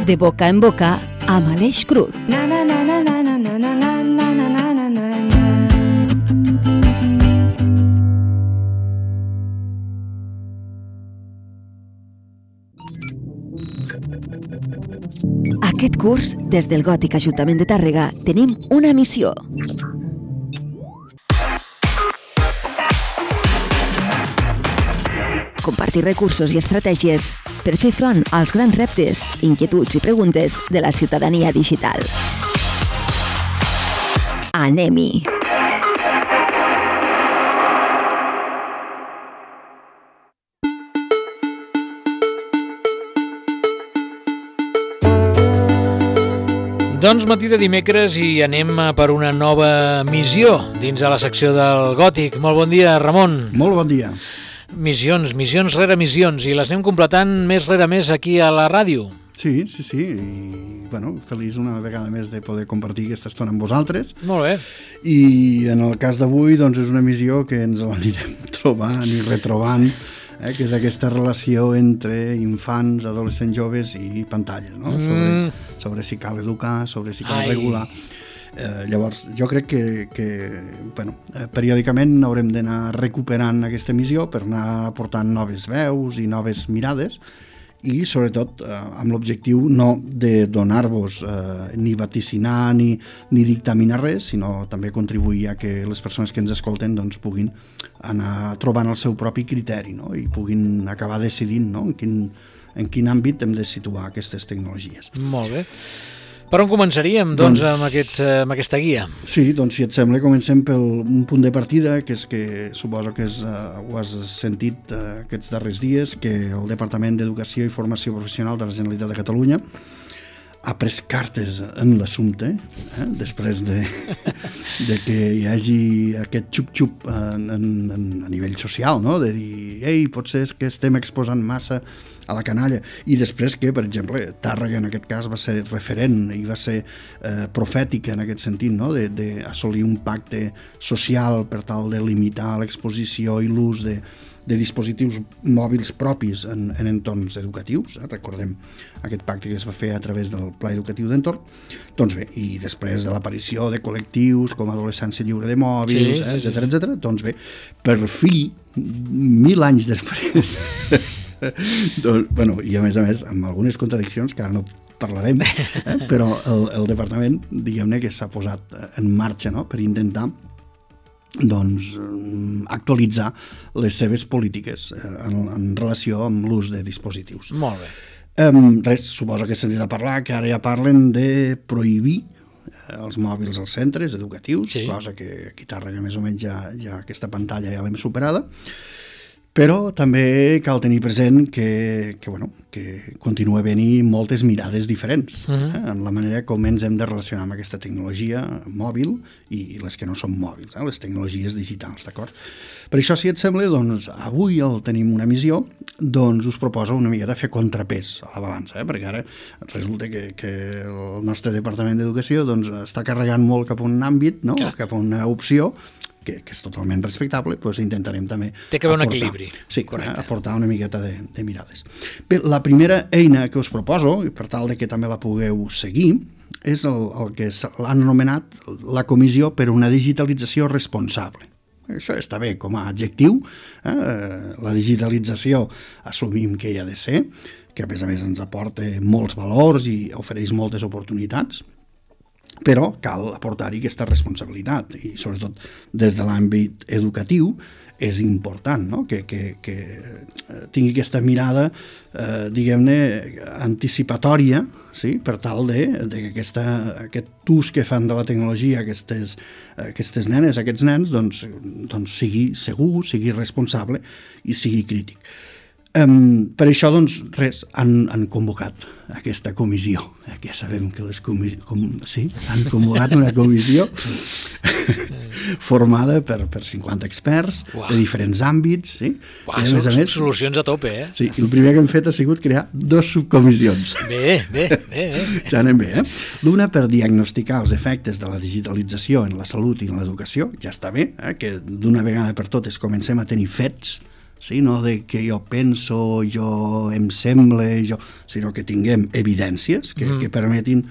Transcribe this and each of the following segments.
De boca en boca amb Aleix Cruz. Aquest curs, des del Gòtic Ajuntament de Tàrrega, tenim una missió. Compartir recursos i estratègies per fer front als grans reptes, inquietuds i preguntes de la ciutadania digital. Anem-hi! Doncs matí de dimecres i anem per una nova missió dins de la secció del Gòtic. Molt bon dia, Ramon. Molt bon dia. Missions rere missions, i les anem completant més rere més aquí a la ràdio. Sí, i feliç una vegada més de poder compartir aquesta estona amb vosaltres. Molt bé. I en el cas d'avui doncs és una missió que ens l'anirem trobant i retrobant, que és aquesta relació entre infants, adolescents, joves i pantalles, no? Sobre si cal educar, sobre si cal regular. Llavors, jo crec que periòdicament haurem d'anar recuperant aquesta missió per anar aportant noves veus i noves mirades, i sobretot amb l'objectiu no de donar-vos ni vaticinar ni dictaminar res, sinó també contribuir a que les persones que ens escolten doncs, puguin anar trobant el seu propi criteri, no? I puguin acabar decidint, no? en quin àmbit hem de situar aquestes tecnologies. Molt bé. Per on començaríem, doncs, amb aquesta guia? Sí, doncs, si et sembla, comencem per un punt de partida, que és que suposo que ho has sentit aquests darrers dies, que el Departament d'Educació i Formació Professional de la Generalitat de Catalunya ha pres cartes en l'assumpte, després de que hi hagi aquest xup-xup a nivell social, no? De dir, potser és que estem exposant massa a la canalla, i després que, per exemple, Tàrrega en aquest cas va ser referent i va ser profètica en aquest sentit, no? D'assolir un pacte social per tal de limitar l'exposició i l'ús de dispositius mòbils propis en entorns educatius. Recordem aquest pacte que es va fer a través del Pla Educatiu d'Entorn. Doncs bé, i després de l'aparició de col·lectius com Adolescència Lliure de Mòbils, etcètera, doncs bé, per fi, 1000 anys després, i a més, amb algunes contradiccions que ara no parlarem, però el departament, diguem-ne, que s'ha posat en marxa, no?, per intentar actualitzar les seves polítiques en relació amb l'ús de dispositius. Molt bé. Suposo que s'ha sentit a parlar que ara ja parlen de prohibir els mòbils als centres educatius, cosa que aquí a Tàrrega més o menys ja aquesta pantalla ja l'hem superada, però també cal tenir present que continua havent-hi moltes mirades diferents en la manera com ens hem de relacionar amb aquesta tecnologia mòbil i les que no són mòbils, les tecnologies digitals, d'acord? Per això, si et sembla, doncs, avui tenim una missió, doncs us proposo una mica de fer contrapès a la balança, perquè ara resulta que el nostre Departament d'Educació doncs, està carregant molt cap a un àmbit, no? Cap a una opció, que és totalment respectable, doncs intentarem també té que haver un equilibri. Sí, aportar una miqueta de mirades. Bé, la primera eina que us proposo, per tal de que també la pugueu seguir, és el que l'han anomenat la Comissió per una Digitalització Responsable. Això està bé com a adjectiu. La digitalització assumim que hi ha de ser, que a més ens aporta molts valors i ofereix moltes oportunitats, però cal aportar-hi aquesta responsabilitat, i sobretot des de l'àmbit educatiu és important, no? que tingui aquesta mirada, diguem-ne, anticipatòria, sí? Per tal de que aquest ús que fan de la tecnologia aquestes nenes, aquests nens, doncs sigui segur, sigui responsable i sigui crític. Per això, doncs, han convocat aquesta comissió. Ja sabem que han convocat una comissió formada per 50 experts de diferents àmbits. Sí? Solucions a tope, eh? Sí, i el primer que hem fet ha sigut crear 2 subcomissions. Bé. Ja anem bé, L'una per diagnosticar els efectes de la digitalització en la salut i en l'educació, ja està bé, que d'una vegada per totes comencem a tenir fets sí? No de que jo penso, jo em sembla, sinó que tinguem evidències que permetin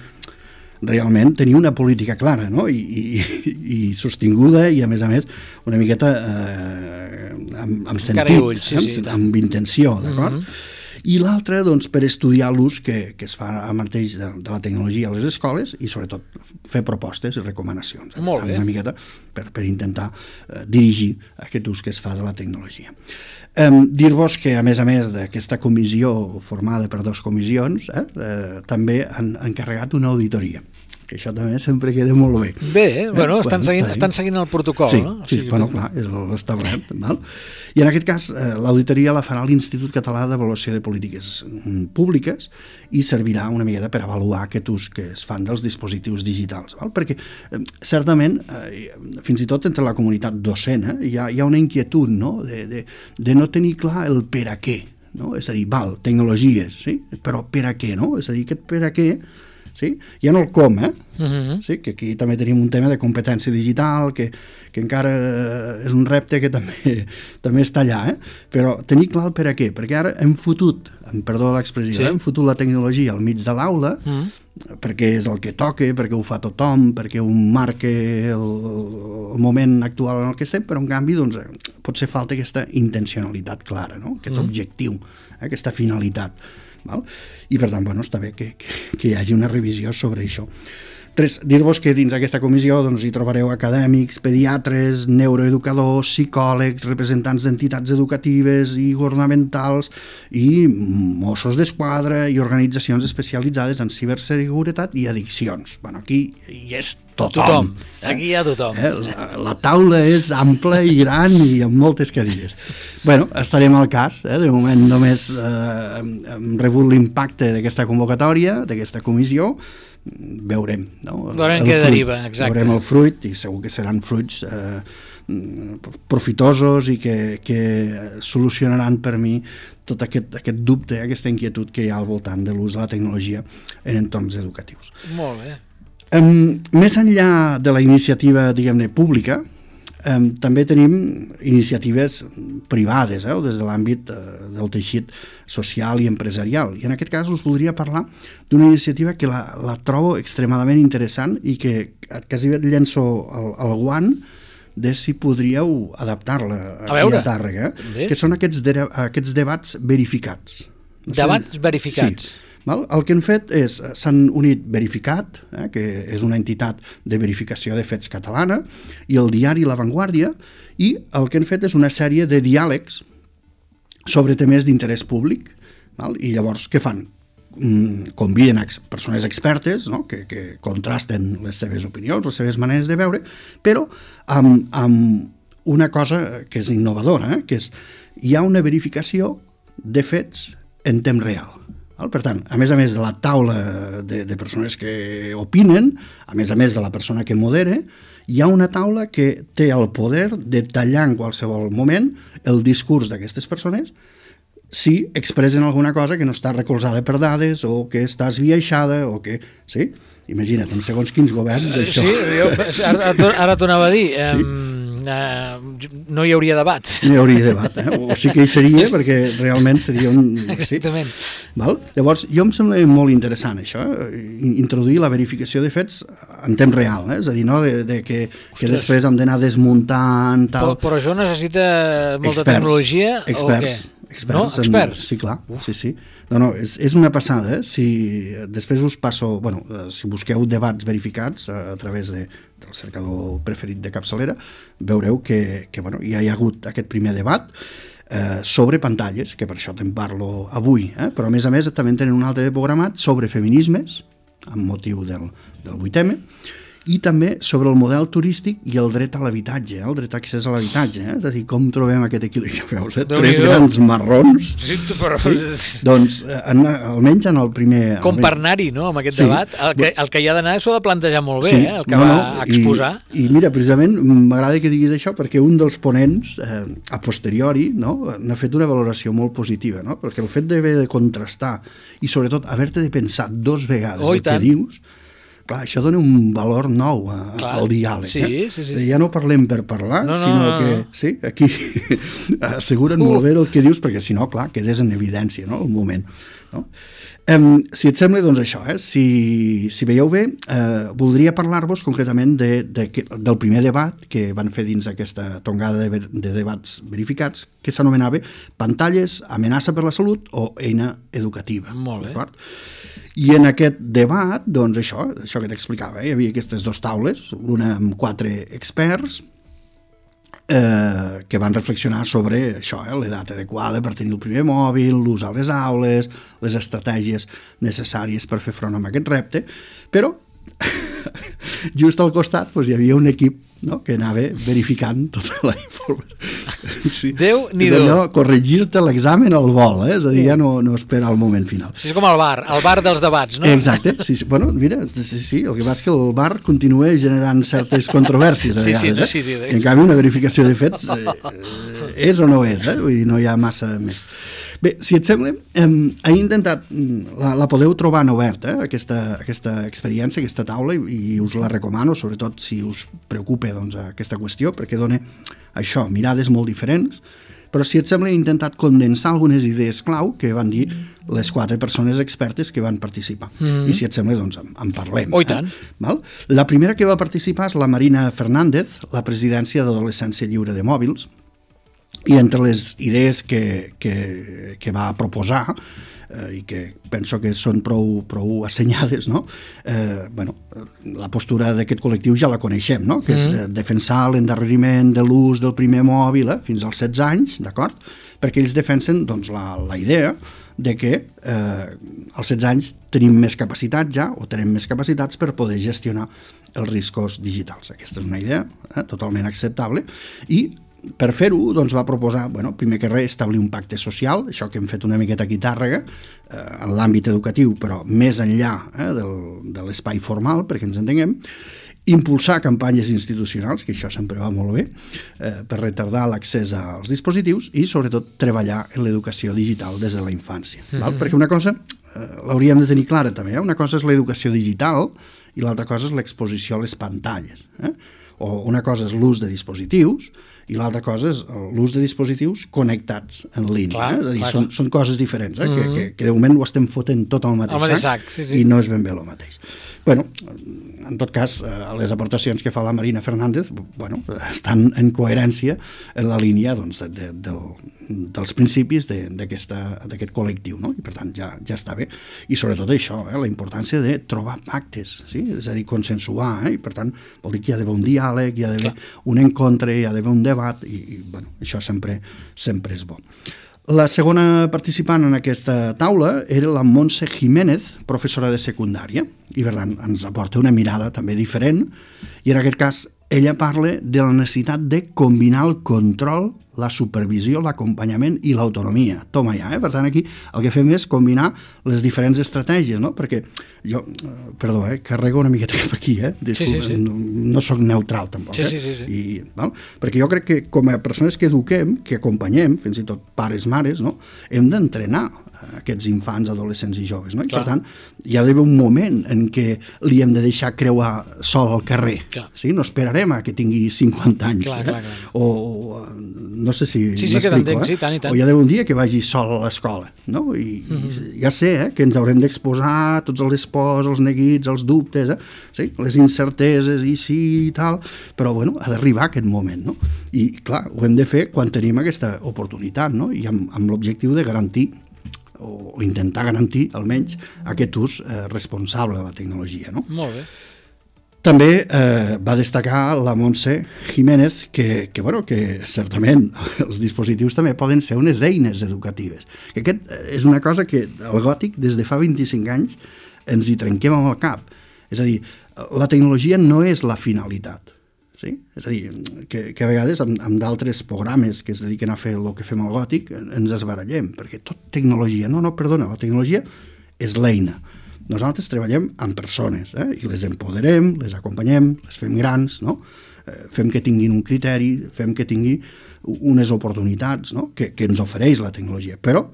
realment tenir una política clara, no? I sostinguda i, a més, una miqueta amb sentit, amb intenció, d'acord? I l'altre, doncs, per estudiar l'ús que es fa a mateix de la tecnologia a les escoles i, sobretot, fer propostes i recomanacions. Molt bé. Una miqueta per intentar dirigir aquest ús que es fa de la tecnologia. Dir-vos que, a més d'aquesta comissió formada per 2 comissions, també han encarregat una auditoria, que això també sempre queda molt bé. Bé, bueno, estan seguint el protocol, sí, no? Sí, bueno, clar, és l'establert. I en aquest cas, l'auditoria la farà l'Institut Català d'Avaluació de Polítiques Públiques i servirà una miqueta per avaluar aquest ús que es fan dels dispositius digitals. Perquè, certament, fins i tot entre la comunitat docent, hi ha una inquietud, no?, de no tenir clar el per a què. No? És a dir, tecnologies, sí? Però per a què, no? És a dir, aquest per a què, sí? Ja no el com, sí? Que aquí també tenim un tema de competència digital, que encara és un repte que també està allà, però tenir clar el per a què, perquè ara hem fotut, perdó l'expressió, hem fotut la tecnologia al mig de l'aula, perquè és el que toca, perquè ho fa tothom, perquè ho marca el moment actual en el que estem, però en canvi doncs, pot ser falta aquesta intencionalitat clara, no? Aquest objectiu, aquesta finalitat. I per tant, està bé que hi hagi una revisió sobre això. Res, dir-vos que dins aquesta comissió hi trobareu acadèmics, pediatres, neuroeducadors, psicòlegs, representants d'entitats educatives i governamentals i Mossos d'Esquadra i organitzacions especialitzades en ciberseguretat i addiccions. Aquí hi és tothom. Aquí hi ha tothom. La taula és ampla i gran i amb moltes cadires. Estarem al cas. De moment només hem rebut l'impacte d'aquesta convocatòria, d'aquesta comissió. Veurem, no? Veurem què deriva, exacte. Veurem el fruit i segur que seran fruits profitosos i que solucionaran per mi tot aquest dubte, aquesta inquietud que hi ha al voltant de l'ús de la tecnologia en entorns educatius. Molt bé. Més enllà de la iniciativa, diguem-ne, pública, també tenim iniciatives privades, des de l'àmbit del teixit social i empresarial. I en aquest cas us voldria parlar d'una iniciativa que la trobo extremadament interessant i que quasi et llenço el guant de si podríeu adaptar-la aquí a Tàrrega, que són aquests debats verificats. Debats verificats. Sí. El que han fet és, s'han unit Verificat, que és una entitat de verificació de fets catalana, i el diari La Vanguardia, i el que han fet és una sèrie de diàlegs sobre temes d'interès públic, i llavors què fan? Conviden persones expertes, no? que contrasten les seves opinions, les seves maneres de veure, però amb una cosa que és innovadora, que és hi ha una verificació de fets en temps real. Per tant, a més de la taula de persones que opinen, a més de la persona que modera, hi ha una taula que té el poder de tallar en qualsevol moment el discurs d'aquestes persones si expressen alguna cosa que no està recolzada per dades o que està esbiaixada o que... Sí? Imagina't, en segons quins governs, això... Sí, ara t'ho anava a dir. No hi hauria debat. No hi hauria debat, o sí que hi seria, perquè realment seria un... Exactament. Llavors, jo em sembla molt interessant això, introduir la verificació de fets en temps real, és a dir, no? que després hem d'anar desmuntant... Però això necessita molta tecnologia o què? Experts. Sí, clar. Sí. No, és una passada. Si després us passo... si busqueu debats verificats a través del cercador preferit de capçalera, veureu que ja hi ha hagut aquest primer debat sobre pantalles, que per això te'n parlo avui, però a més també tenen un altre programat sobre feminismes, amb motiu del 8M, i també sobre el model turístic i el dret a l'habitatge, el dret a accés a l'habitatge, és a dir, com trobem aquest equilibri, veus, tres grans marrons. Sí, però... Doncs, almenys en el primer... Com per anar-hi, no?, amb aquest debat. El que hi ha d'anar s'ho ha de plantejar molt bé, el que va exposar. I mira, precisament, m'agrada que diguis això, perquè un dels ponents, a posteriori, n'ha fet una valoració molt positiva, no?, perquè el fet d'haver de contrastar i, sobretot, haver-te de pensar 2 vegades el que dius, clar, això dona un valor nou al diàleg. Sí. Ja no parlem per parlar, sinó que sí, aquí asseguren molt bé el que dius, perquè si no, clar, quedes en evidència, no?, el moment. No? Si et sembla, doncs això, si veieu bé, voldria parlar-vos concretament del primer debat que van fer dins aquesta tongada de debats verificats, que s'anomenava Pantalles, amenaça per la salut o eina educativa. Molt bé. D'acord? I en aquest debat, doncs això que t'explicava, hi havia aquestes dues taules, una amb 4 experts, que van reflexionar sobre això, l'edat adequada per tenir el primer mòbil, l'ús a les aules, les estratègies necessàries per fer front a aquest repte, però just al costat doncs, hi havia un equip, no?, que anava verificant tota la informació. Sí. Déu-n'hi-do. És allò, corregir-te l'examen al vol, és a dir, ja no espera el moment final. És com el bar dels debats, no? Exacte, sí. Bueno, mira, sí, el que passa és que el bar continua generant certes controvèrsies a vegades, Sí. En canvi, una verificació de fets és o no és, vull dir, no hi ha massa més. Bé, si et sembla, he intentat, la podeu trobar en obert, aquesta experiència, aquesta taula, i us la recomano, sobretot si us preocupa doncs, aquesta qüestió, perquè dona això, mirades molt diferents, però si et sembla he intentat condensar algunes idees clau que van dir les 4 persones expertes que van participar. I si et sembla, doncs en parlem. Oh, i tant. Val? La primera que va participar és la Marina Fernández, la presidència d'Adolescència Lliure de Mòbils, i entre les idees que va proposar, i que penso que són prou assenyades, no? La postura d'aquest col·lectiu ja la coneixem, no? Que és defensar l'endarreriment de l'ús del primer mòbil fins als 16 anys, d'acord? Perquè ells defensen doncs, la idea de que als 16 anys tenim més capacitat ja, o tenim més capacitats per poder gestionar els riscos digitals. Aquesta és una idea totalment acceptable, i per fer-ho doncs, va proposar, primer que res, establir un pacte social, això que hem fet una miqueta aquí a Tàrrega, en l'àmbit educatiu, però més enllà de l'espai formal, perquè ens entenguem, impulsar campanyes institucionals, que això sempre va molt bé, per retardar l'accés als dispositius i, sobretot, treballar en l'educació digital des de la infància. Perquè una cosa l'hauríem de tenir clara també, una cosa és l'educació digital i l'altra cosa és l'exposició a les pantalles. O una cosa és l'ús de dispositius i l'altra cosa és l'ús de dispositius connectats en línia. És a dir, són coses diferents, que de moment ho estem fotent tot al mateix sac, i no és ben bé el mateix. En tot cas, les aportacions que fa la Marina Fernández estan en coherència en la línia dels principis d'aquest col·lectiu, no? I per tant ja està bé. I sobretot això, la importància de trobar pactes, és a dir, consensuar, i per tant vol dir que hi ha d'haver un diàleg, hi ha d'haver un encontre, hi ha d'haver un debat, i això sempre és bo. La segona participant en aquesta taula era la Montse Jiménez, professora de secundària, i per tant ens aporta una mirada també diferent, i en aquest cas ella parla de la necessitat de combinar el control, la supervisió, l'acompanyament i l'autonomia. Toma ja, Per tant, aquí el que fem és combinar les diferents estratègies, no? Perquè jo, perdó, carrego una miqueta cap aquí, disculpa, sí. No sóc neutral tampoc. Sí. Perquè jo crec que com a persones que eduquem, que acompanyem, fins i tot pares, mares, no? Hem d'entrenar aquests infants, adolescents i joves, no? I per tant, hi ha d'haver un moment en què li hem de deixar creuar sol al carrer. No esperarem a que tingui 50 anys. O no sé si m'explico, tant. O hi ha d'haver un dia que vagi sol a l'escola, no? I ja sé que ens haurem d'exposar tots els pors, els neguits, els dubtes, les incerteses i sí i tal, però ha d'arribar aquest moment, no? I clar, ho hem de fer quan tenim aquesta oportunitat, no? I amb l'objectiu de garantir o intentar garantir, almenys, aquest ús responsable de la tecnologia, no? Molt bé. També va destacar la Montse Jiménez que certament els dispositius també poden ser unes eines educatives. Que aquest és una cosa que el gòtic des de fa 25 anys ens hi trenquem amb el cap. És a dir, la tecnologia no és la finalitat. Sí? És a dir, que a vegades amb d'altres programes que es dediquen a fer el que fem al gòtic ens esbarallem, perquè tot tecnologia, perdona, la tecnologia és l'eina. Nosaltres treballem amb persones, i les empoderem, les acompanyem, les fem grans, no? Fem que tinguin un criteri, fem que tinguin unes oportunitats, no? que ens ofereix la tecnologia, però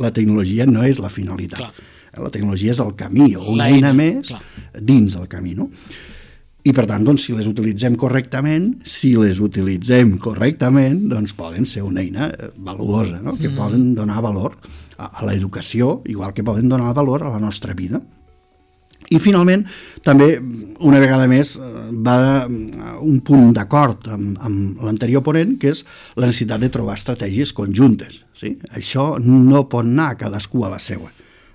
la tecnologia no és la finalitat. La tecnologia és el camí, o una eina més dins el camí, no? I, per tant, doncs, si les utilitzem correctament, doncs poden ser una eina valuosa, no? Que poden donar valor a l'educació, igual que poden donar valor a la nostra vida. I, finalment, també, una vegada més, va un punt d'acord amb l'anterior ponent, que és la necessitat de trobar estratègies conjuntes. Sí? Això no pot anar cadascú a la seva.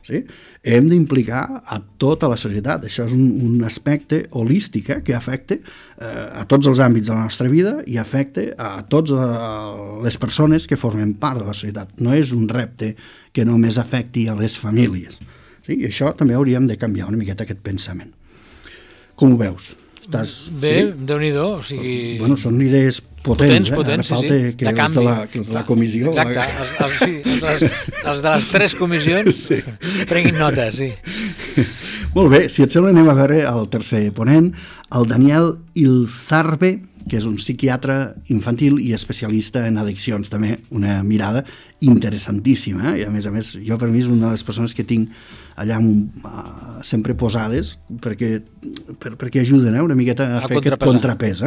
Sí? Hem d'implicar a tota la societat. Això és un aspecte holístic que afecta a tots els àmbits de la nostra vida i afecta a totes les persones que formen part de la societat. No és un repte que només afecti a les famílies. Sí? I això també hauríem de canviar una miqueta aquest pensament. Com ho veus? Bé, Déu-n'hi-do, o sigui... Bueno, són idees potents, Ara falta que els de la comissió... Exacte, els de les 3 comissions prenguin nota, sí. Molt bé, si et sembla anem a veure el tercer ponent, el Daniel Ilzarbe, que és un psiquiatre infantil i especialista en addiccions, també una mirada interessantíssima, i a més, jo per mi és una de les persones que tinc allà sempre posades perquè ajuden una miqueta a fer aquest contrapès.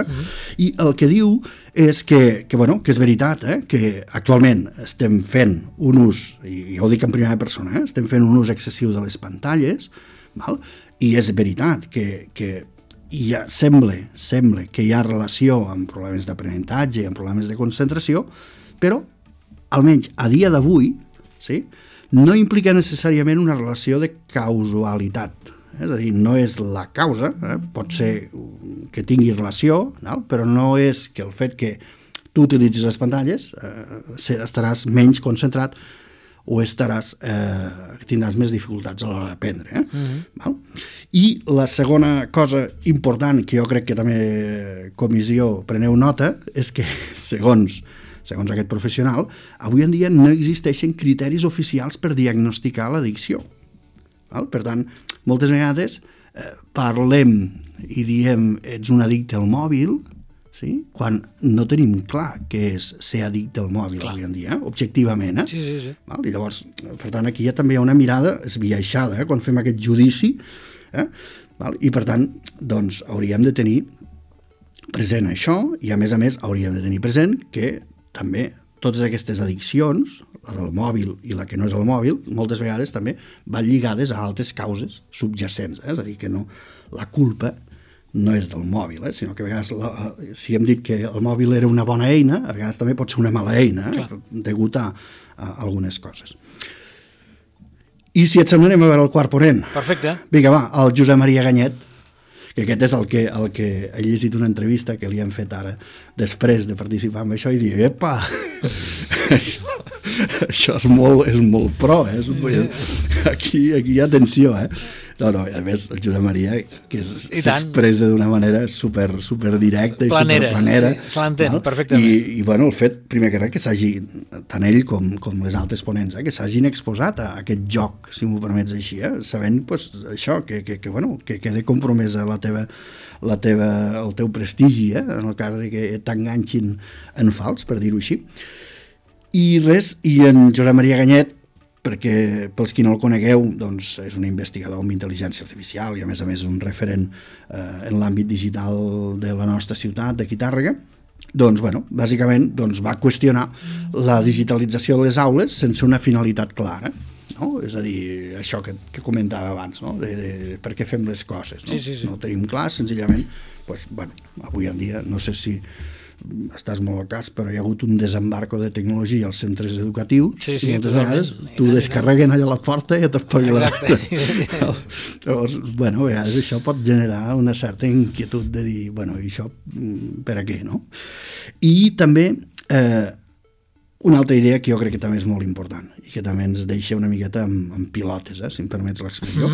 I el que diu és que és veritat, que actualment estem fent un ús, i ja ho dic en primera persona, estem fent un ús excessiu de les pantalles, i és veritat que sembla que hi ha relació amb problemes d'aprenentatge, amb problemes de concentració, però almenys a dia d'avui no implica necessàriament una relació de causalitat. És a dir, no és la causa, pot ser que tingui relació, però no és que el fet que tu utilitzis les pantalles estaràs menys concentrat o tindràs més dificultats a l'hora d'aprendre. I la segona cosa important, que jo crec que també comissió preneu nota, és que segons aquest professional, avui en dia no existeixen criteris oficials per diagnosticar l'addicció. Per tant, moltes vegades parlem i diem ets un addicte al mòbil, quan no tenim clar què és ser addicte al mòbil avui en dia, objectivament. Sí. I llavors, per tant, aquí també hi ha una mirada esbiaixada quan fem aquest judici, i per tant, doncs, hauríem de tenir present això, i a més hauríem de tenir present que també totes aquestes addiccions, la del mòbil i la que no és el mòbil, moltes vegades també van lligades a altres causes subjacents, és a dir, que la culpa no és del mòbil, sinó que a vegades, si hem dit que el mòbil era una bona eina, a vegades també pot ser una mala eina, degut a algunes coses. I si et sembla anem a veure el quart ponent. Perfecte. Vinga, va, el Josep Maria Ganyet, que aquest és el que he llegit una entrevista que li han fet ara després de participar en això i dir, epa, això és molt pro, aquí hi ha tensió, No, a més, el Josep Maria, que s'expressa d'una manera super directa i superplanera. Sí, se l'entén perfectament. I el fet, primer que res, que s'hagi, tant ell com les altres ponents, que s'hagin exposat a aquest joc, si m'ho permets així, sabent això, que quede compromesa el teu prestigi, en el cas de que t'enganxin en fals, per dir-ho així. I en Josep Maria Ganyet, perquè pels qui no el conegueu, doncs és un investigador amb intel·ligència artificial i a més un referent en l'àmbit digital de la nostra ciutat, d'aquí Tàrrega. Doncs, bàsicament va qüestionar la digitalització de les aules sense una finalitat clara, no? És a dir, això que comentava abans, no? De per què fem les coses, no? Sí. No ho tenim clar, senzillament, avui en dia, no sé si estàs molt al cas, però hi ha hagut un desembarco de tecnologia als centres educatius i moltes vegades t'ho descarreguen allà a la porta i et pagui la porta. Llavors, a vegades això pot generar una certa inquietud de dir, i això per a què, no? I també una altra idea que jo crec que també és molt important i que també ens deixa una miqueta amb pilotes, si em permets l'expressió,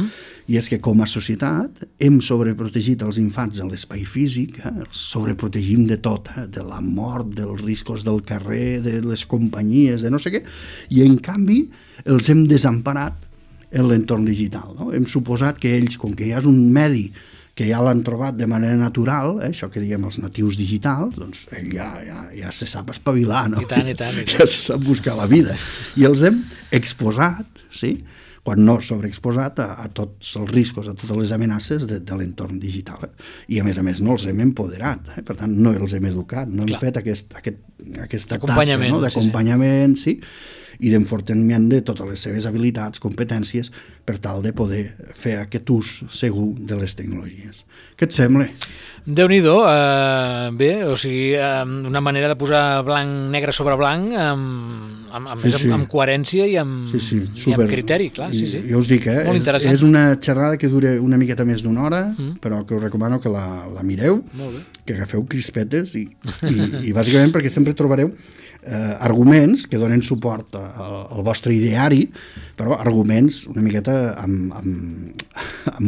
i és que com a societat hem sobreprotegit els infants a l'espai físic, els sobreprotegim de tot, de la mort, dels riscos del carrer, de les companyies, de no sé què, i en canvi els hem desemparat en l'entorn digital, no? Hem suposat que ells, com que ja és un medi que ja l'han trobat de manera natural, això que diguem els natius digitals, doncs ell ja se sap espavilar, no? I tant. Ja se sap buscar la vida. I els hem exposat, quan no sobreexposat a tots els riscos, a totes les amenaces de l'entorn digital. I a més no els hem empoderat, per tant no els hem educat, no hem fet aquesta tasca, no? D'acompanyament, sí, i d'enfortiment de totes les seves habilitats, competències, per tal de poder fer aquest ús segur de les tecnologies. Què et sembla? Déu-n'hi-do, bé, o sigui, una manera de posar negre sobre blanc amb coherència i amb criteri, clar. Jo us dic, és una xerrada que dura una miqueta més d'una hora, però que us recomano que la mireu, que agafeu crispetes i bàsicament perquè sempre trobareu arguments que donen suport al vostre ideari, però arguments una miqueta amb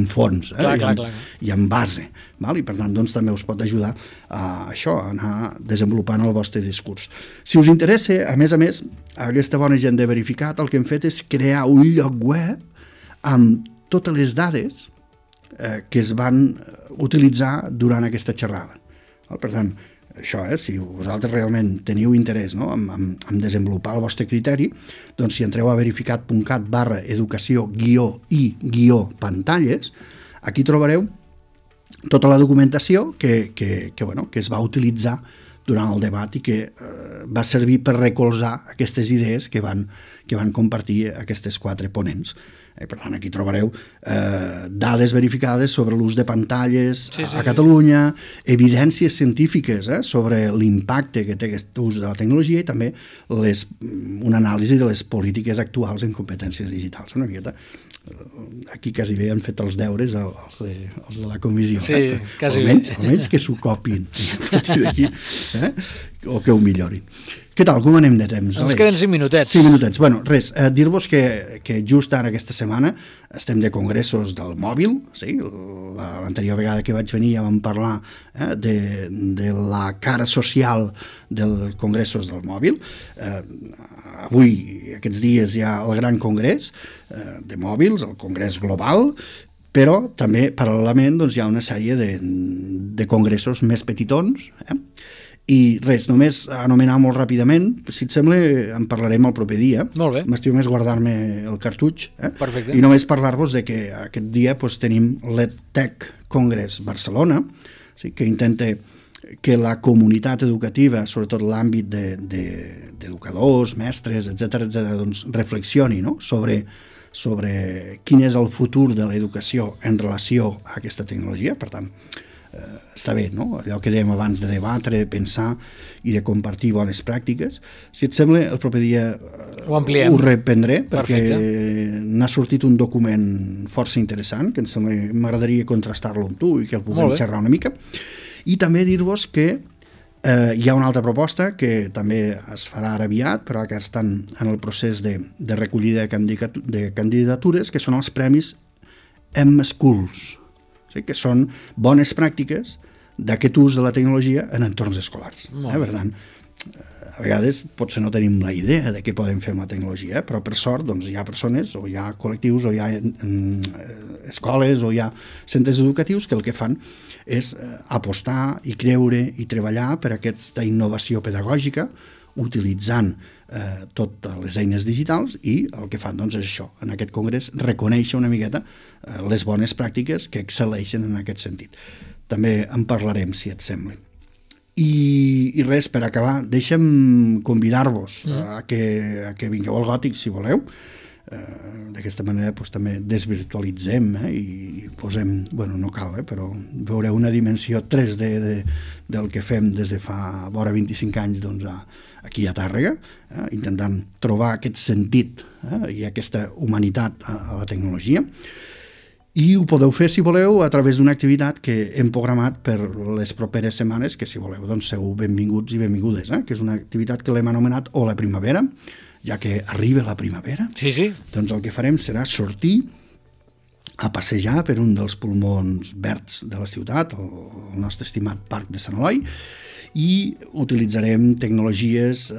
fons i amb base. I per tant doncs, també us pot ajudar a això, a anar desenvolupant el vostre discurs. Si us interessa, a més, aquesta bona gent de Verificat, el que hem fet és crear un lloc web amb totes les dades que es van utilitzar durant aquesta xerrada. Per tant, això, si vosaltres realment teniu interès en desenvolupar el vostre criteri, doncs si entreu a verificat.cat/educació-i-pantalles, aquí trobareu tota la documentació que es va utilitzar durant el debat i que va servir per recolzar aquestes idees que van compartir aquestes 4 ponents. Per tant, aquí trobareu dades verificades sobre l'ús de pantalles a Catalunya, evidències científiques sobre l'impacte que té aquest ús de la tecnologia i també una anàlisi de les polítiques actuals en competències digitals. Una miqueta, aquí quasi bé han fet els deures els de la comissió. Sí, quasi bé. Almenys que s'ho copin a partir d'aquí, o que ho millorin. Què tal? Com anem de temps? Ens queden 5 minutets. 5 minutets. Bueno, res, dir-vos que just ara aquesta setmana estem de congressos del mòbil, sí? L'anterior vegada que vaig venir ja vam parlar de la cara social dels congressos del mòbil. Avui, aquests dies, hi ha el gran congrés de mòbils, el congrés global, però també, paral·lelament, hi ha una sèrie de congressos més petitons, i res, només anomenar molt ràpidament, si et sembla en parlarem el proper dia. Molt bé. M'estiu més guardar-me el cartutx. Perfecte. I només parlar-vos de que aquest dia tenim l'EdTech Congress Barcelona, que intenta que la comunitat educativa, sobretot l'àmbit d'educadors, mestres, etc., doncs reflexioni sobre quin és el futur de l'educació en relació a aquesta tecnologia. Per tant, està bé, no? Allò que dèiem abans de debatre, de pensar i de compartir bones pràctiques. Si et sembla, el proper dia ho reprendré, perquè n'ha sortit un document força interessant, que m'agradaria contrastar-lo amb tu i que el puguem xerrar una mica. I també dir-vos que hi ha una altra proposta que també es farà ara aviat, però que estan en el procés de recollida de candidatures, que són els premis M-Schools, que són bones pràctiques d'aquest ús de la tecnologia en entorns escolars. Per tant, a vegades potser no tenim la idea de què podem fer amb la tecnologia, però per sort hi ha persones, o hi ha col·lectius, o hi ha escoles, o hi ha centres educatius que el que fan és apostar i creure i treballar per aquesta innovació pedagògica utilitzant totes les eines digitals i el que fan és això, en aquest congrés reconèixer una miqueta les bones pràctiques que excel·leixen en aquest sentit. També en parlarem, si et sembla. I res, per acabar, deixa'm convidar-vos a que vingueu al Gòtic, si voleu. D'aquesta manera també desvirtualitzem i posem, no cal, però veureu una dimensió 3D del que fem des de fa vora 25 anys aquí a Tàrrega, intentant trobar aquest sentit i aquesta humanitat a la tecnologia. I ho podeu fer, si voleu, a través d'una activitat que hem programat per les properes setmanes, que si voleu, sou benvinguts i benvingudes, que és una activitat que l'hem anomenat O la Primavera, ja que arriba la primavera. Sí. Doncs el que farem serà sortir a passejar per un dels pulmons verds de la ciutat, el nostre estimat Parc de Sant Eloi, i utilitzarem tecnologies,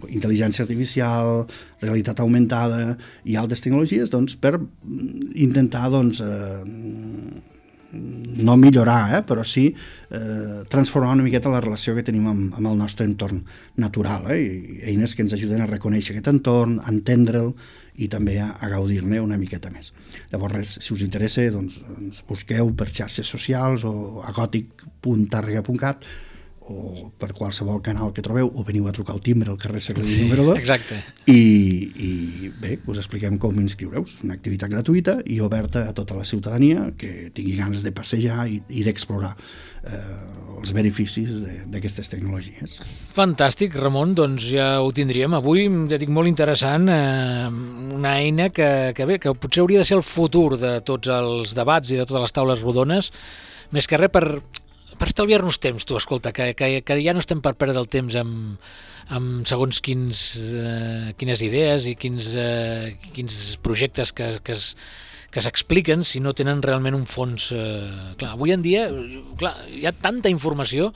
intel·ligència artificial, realitat augmentada i altres tecnologies per intentar no millorar, però sí transformar una miqueta la relació que tenim amb el nostre entorn natural, i eines que ens ajuden a reconèixer aquest entorn, a entendre'l i també a gaudir-ne una miqueta més. Llavors, res, si us interessa, doncs ens busqueu per xarxes socials o a gòtic.tarrega.cat o per qualsevol canal que trobeu, o veniu a trucar al timbre al carrer Secredi número 2. Exacte. I bé, us expliquem com inscriureu-vos. És una activitat gratuïta i oberta a tota la ciutadania que tingui ganes de passejar i d'explorar els beneficis d'aquestes tecnologies. Fantàstic, Ramon, doncs ja ho tindríem. Avui, ja dic, molt interessant, una eina que potser hauria de ser el futur de tots els debats i de totes les taules rodones, més que res per estalviar-nos temps, tu, escolta, que ja no estem per perdre el temps amb segons quines idees i quins projectes que s'expliquen si no tenen realment un fons. Clar, avui en dia hi ha tanta informació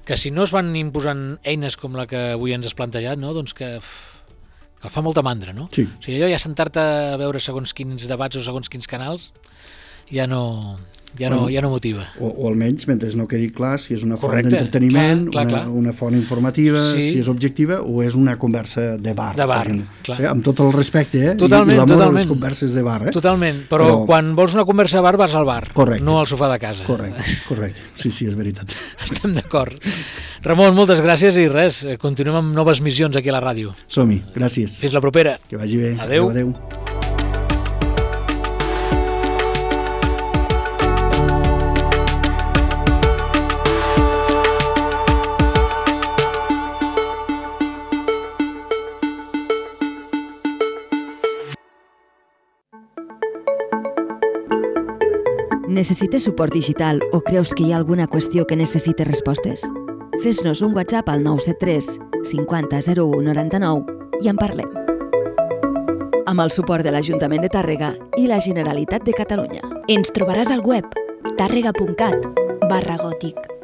que si no es van imposant eines com la que avui ens has plantejat, no? Doncs que fa molta mandra, no? Sí. O sigui, allò ja sentar-te a veure segons quins debats o segons quins canals ja no motiva. O almenys, mentre no quedi clar si és una font d'entreteniment, una font informativa, si és objectiva o és una conversa de bar. De bar, clar. Amb tot el respecte, totalment, i l'amor a les converses de bar. Totalment, però quan vols una conversa de bar vas al bar, no al sofà de casa. Correcte. Sí, és veritat. Estem d'acord. Ramon, moltes gràcies i res, continuem amb noves missions aquí a la ràdio. Som-hi, gràcies. Fins la propera. Que vagi bé. Adéu. Necessites suport digital o creus que hi ha alguna qüestió que necessite respostes? Fes-nos un WhatsApp al 973 50 01 99 i en parlem. Amb el suport de l'Ajuntament de Tàrrega i la Generalitat de Catalunya. Ens trobaràs al web tarrega.cat/gòtic.